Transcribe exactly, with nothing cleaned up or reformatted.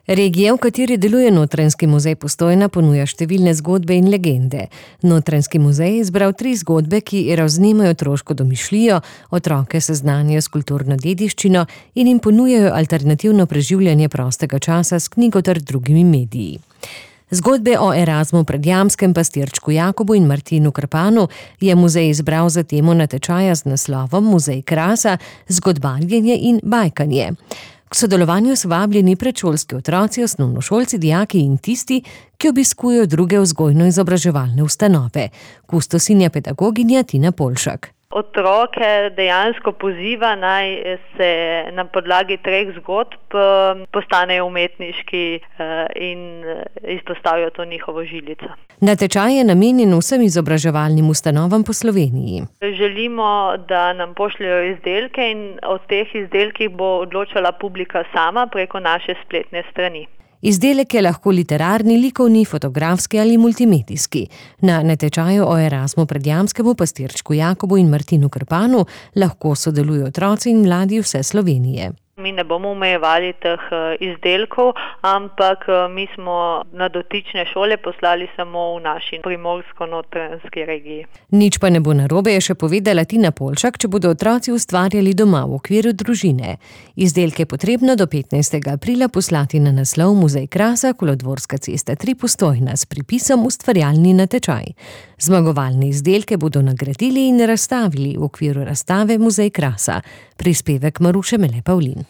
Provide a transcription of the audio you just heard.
Regija, v kateri deluje Notranjski muzej Postojna, ponuja številne zgodbe in legende. Notranjski muzej je izbral tri zgodbe, ki razvnemajo otroško domišljijo, otroke seznanijo s kulturno dediščino in jim ponujajo alternativno preživljanje prostega časa s knjigo ter drugimi mediji. Zgodbe o Erazmu Predjamskem, pastirčku Jakobu in Martinu Krpanu je muzej izbral za temo natečaja z naslovom Muzej krasa, zgodbarjenje in bajkanje. K sodelovanju so vabljeni predšolski otroci, osnovnošolci, dijaki in tisti, ki obiskujejo druge vzgojno-izobraževalne ustanove. Kustosinja pedagoginja Tina Polšak. Otroke dejansko poziva, naj se na podlagi treh zgodb postanejo umetniški in izpostavijo to njihovo žilico. Natečaj je namenjen vsem izobraževalnim ustanovam po Sloveniji. Želimo, da nam pošljejo izdelke in o teh izdelkih bo odločala publika sama preko naše spletne strani. Izdelek je lahko literarni, likovni, fotografski ali multimedijski. Na natečaju o Erazmu Predjamskemu, pastirčku Jakobu in Martinu Krpanu lahko sodelujo otroci in mladi vse Slovenije. Mi ne bomo omejevali teh izdelkov, ampak mi smo na dotične šole poslali samo v naši primorsko-notranjski regiji. Nič pa ne bo narobe, je še povedala Tina Polšak, če bodo otroci ustvarjali doma v okviru družine. Izdelke je potrebno do petnajstega aprila poslati na naslov Muzej krasa, Kolodvorska cesta tri, Postojna s pripisom Ustvarjalni natečaj. Zmagovalne izdelke bodo nagradili in razstavili v okviru razstave Muzej krasa. Prispevek Maruše Mele Pavlin.